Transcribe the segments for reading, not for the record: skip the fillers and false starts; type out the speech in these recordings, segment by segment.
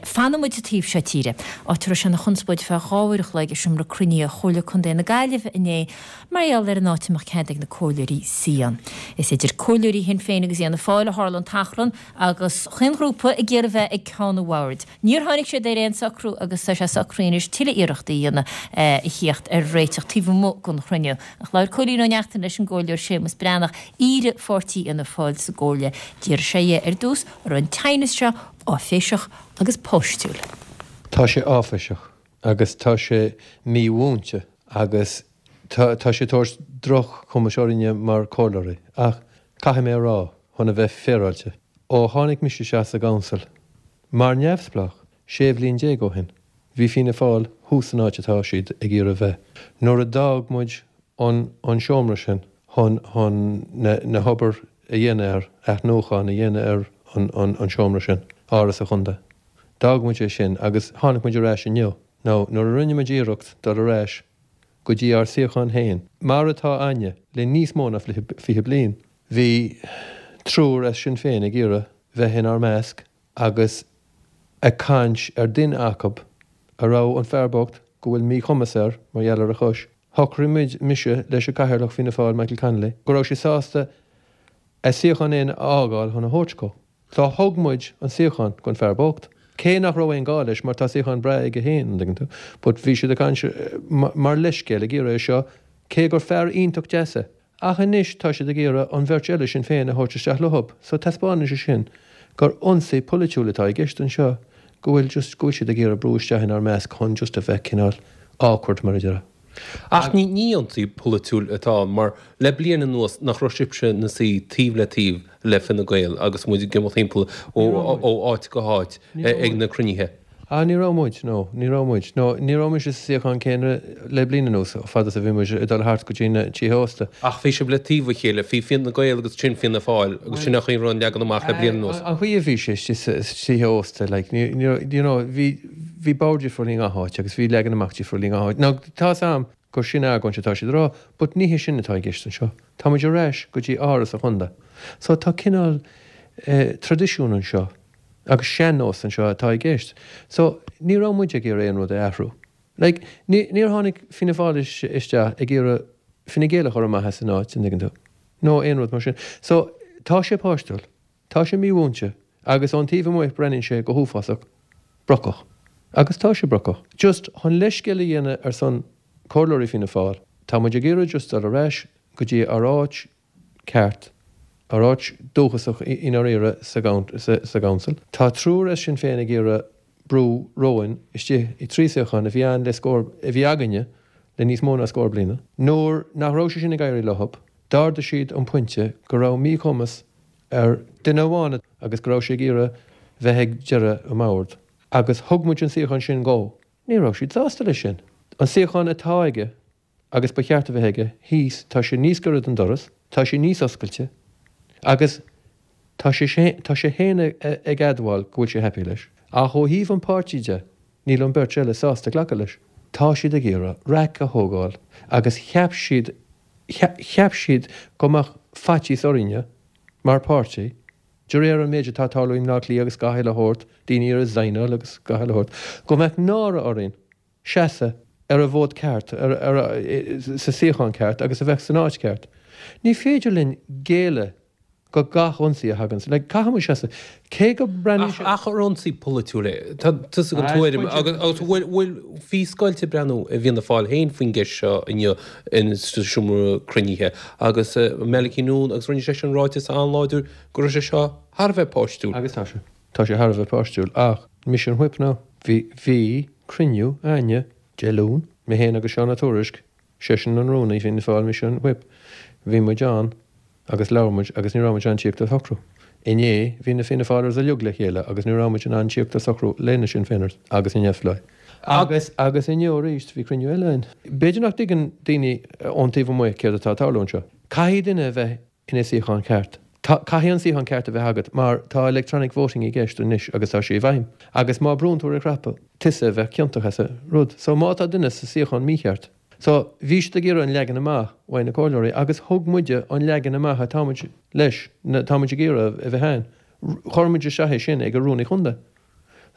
Fanfaidh muid sa taobh seo tíre, áit a raibh sé ina chonspóid ar feadh 2 uair a chloig i seomra cruinnithe Chomhairle Contae na Gaillimhe inné mar gheall ar an áit a mbeadh cead ag na comhairleoirí suí ann. Is idir comhairleoirí Shinn Féin agus Fhianna Fáil a tharla an t-achrann agus chaon ghrúpa ag iarraidh bheith ag ceann an bhoird. Níor tháinig siad ar aon socrú agus tá sé socraithe anois tuilleadh iarrachtaí a dhéanamh a thíocht ar réiteach taobh amuigh den chruinniú. Ach labhair Cóilín Ó Neachtain leis an gComhairleoir Séamus Breathnach, aoire pháirtí Fhianna Fáil sa gComhairle. D'fhiafraigh sé dhe ar dtús an raibh an teannas seo áiféiseach agus páistiúil. Tá sé áiféiseach agus tá sé mímhúinte agus tá tá sé ag tabhairt droch-chumais orainne mar chomhairleoirí. Ach caithfidh mé a rá, chun a bheith féaráilte, ó tháinig mise isteach sa gcouncil mar neamhspleách 16 bhliain ó shin, bhí Fianna Fáil thuas san áit atá siad ag iarraidh bheith. Nuair a d'fhág muid an an seomra sin chun chun na na hobair a dhéanamh air, athnuachan a dhéanamh ar an an an seomra sin, Áras an Chontae. D'fhág muid é sin agus tháinig muid ar ais inniu. Now, nuair a rinne muid iarracht dul ar ais go dtí ár suíochán féin, mar atá a'inne le níos mó ná 20 bliain, bhí triúr as Sinn Féin ag iarraidh bheith inár measc agus ag caint ar duine acub a raibh an fear bocht go bhfuil míchumas air mar gheall ar a chois. Shocraigh muid, mise leis an gCathaoirleach Fianna Fáil Michael Connolly, go raibh sé sásta a suíochán fhéin a fhágáil chun a thabhairt dhó. So thug muid an suíochán gon fear bocht. Cé nach raibh aon gá leis mar tá suíochán breá aige fhéin, an dtuigeann tú. But bhí siad ag caint mar leithscéal ag iarraidh é seo cé gur fear iontach deas é. Ach anois tá siad ag iarraidh an bheirt eile Sinn Féin a thabhairt isteach leothub, so taispeánann sé sin gur ionsaí polaitiúil atá i gceist anseo, go bhfuil just, go bhfuil siad ag iarraidh brú isteach inár measc chun just a bheith cineál awkward mar a déarfá. Ach ní ní ionsaí polaitiúil atá ann mar le bliain anuas nach raibh sibhse ina suí taobh le taobh le Fine Gael agus muid ag imeacht timpeall ó áit go háit ag na cruinnithe? Ah, ní raibh muid, no, ní raibh muid. No, ní raibh mise sa suíochán céanna le bliain anuas, fad is a bhí muid ag dul thart go dtí na tithe ósta. Ach bhí sibh le taobh a chéile, bhí Fine Gael agus sin Fianna Fáil agus sin an chaoi a raibh an leagan amach le bliain anuas. An chaoi a bhí sé istigh sa tithe ósta, like, ní, ní raibh, you know, bhí, bhí bord difriúil i ngach áit agus bhí leagan amach difriúil i ngach áit. Now, tá's a'm gur sin argóint atá siad a rá, but ní hé sin atá i gceist anseo. Tá muid ar ais go dtí Áras an Chontae. So tá cineál eh, traidisiún anseo. Agus sean-nós anseo atá i gceist. So, ní raibh muid ag iarraidh aon rud a athrú. Like, ní, níor tháinig Fianna Fáil isteach ag iarraidh Fine Gael a chur amach as an áit, an dtuigeann tú? Nó aon rud mar sin. So, tá sé páistiúil. Tá sé mímhúinte. Agus ón taobh amuigh breathnaíonn sé go huafásach brocach. Agus tá sé brocach. Just, chun leithscéal a dhéanamh ar son comhairleoirí Fianna Fáil, tá muid ag iarraidh just dul ar ais go dtí ár áit ceart, ár áit dúchasach i ndáiríre sa gCouncil. Tá triúr as Sinn Féin ag iarraidh brú romhainn istigh i dtrí suíochán a bhí ann le scór, a bhí againne le níos mó ná scór bliana. Nuair nach raibh sé sin ag éirí leothab, d'ardaigh siad an pointe go raibh míchumas ar duine amháin agus go raibh sé ag iarraidh bheith ag deireadh an bhoird agus thug muid an suíochán sin dhó. Ní raibh siad sásta leis sin. An suíochán atá aige agus ba cheart a bheith aige, thíos, tá sé níos gaire don doras, tá sé níos oscailte agus tá sé tá sé féin ag admháil go bhfuil sé happy leis. Ach ó thaobh an páirtí de, níl an bheirt eile sásta glacadh leis. Tá siad ag iarraidh raic a thógáil agus cheap siad cheap siad go mbeadh faitíos orainne mar páirtí de réir an méid atá ag tarlú i mBleá Cliath agus gach uile shórt, daoine a resignáil agus gach uile shórt, go mbeadh náire orainn. seasamh ar an bhfód ceart, sa suíochán ceart agus a bheith san áit cheart. Ní féidir linn géilleadh go gach ionsaí a thagann. Like, caithfidh muid seasamh. Cé go mbreathnaíonn sé. Ach ar ionsaí polaitiúil é? Tá tusa den tuairim agus bhfuil, bhfuil, bhí scoilt ag breathnú i bhFianna Fáil féin faoin gceist seo inniu in sa seomra cruinnithe agus Malachy Noone agus rinne seisean ráiteas an-láidir go raibh sé seo thar a bheith páistiúil. Agus tá sé. Tá sé thar a bheith páistiúil ach mise an whip now. Bhí, bhí cruinniú a'inne Dé Luain, mé féin agus Seán Ó Tuairisg, seisean an rúnaí Fianna Fáil, mise an whip, bhí muid ann agus labhair muid agus ní raibh muid in ann tíocht ar shocrú. Inné bhí na Fianna Fáilers uilig le chéile agus ní raibh muid in ann tíocht ar socrú le na Sinn Féiners agus na Neamhspleáigh. Agus, agus inniu arís bhí cruinniú eile a'inn. B'fhéidir nach dtuigeann daoine ón taobh amuigh céard atá ag tarlú anseo. Caithfidh duine a bheith ina suíochán ceart. Tá, caithfidh an suíochán ceart a bheith agat mar tá electronic voting i gceist anois agus tá sé i bhfeidhm. Agus má brúnn tú ar an chnaipe, tusa a bheadh ciontach as an rud. So má tá duine sa suíochán mícheart. So bhí siad ag iarraidh an leagan amach uaidh na comhairleoirí agus thug muide an leagan amach atá muid leis, atá muid ag iarraidh a bheith ann. Chuir muid isteach é sin ag an rúnaí chontae.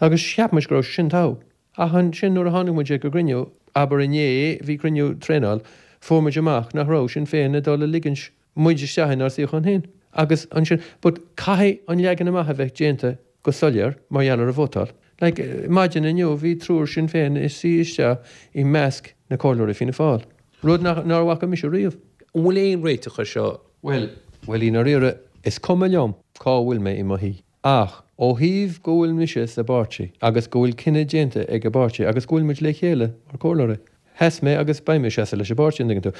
Agus cheap muid go raibh sé sin togha. Ach ansin nuair a tháinig muid ag an gcruinniú, abair inné, bhí cruinniú traenáil, fuair muid amach nach raibh Sinn Féin ag dul a ligint muid isteach inár suíochán féin. Agus ansin, but caithfidh an leagan amach a bheith déanta go soiléir mar gheall ar an vótáil. Like, maidin inniu bhí triúr Sinn Féin ag suí isteach i measc na comhairleoirí Fianna Fáil. Rud nach, nár bhfaca mise riamh. An bhfuil aon réiteach ar seo? Bhuel, bhuel i ndáiríre, is cuma liom cá bhfuil mé i mo shuí. Ach ó thaobh go bhfuil mise sa bpáirtí agus go bhfuil cinneadh déanta ag an bpáirtí agus go bhfuil muid le chéile mar comhairleoirí, sheas mé agus beidh mé ag seasamh leis an bpáirtí, an dtuigeann tú.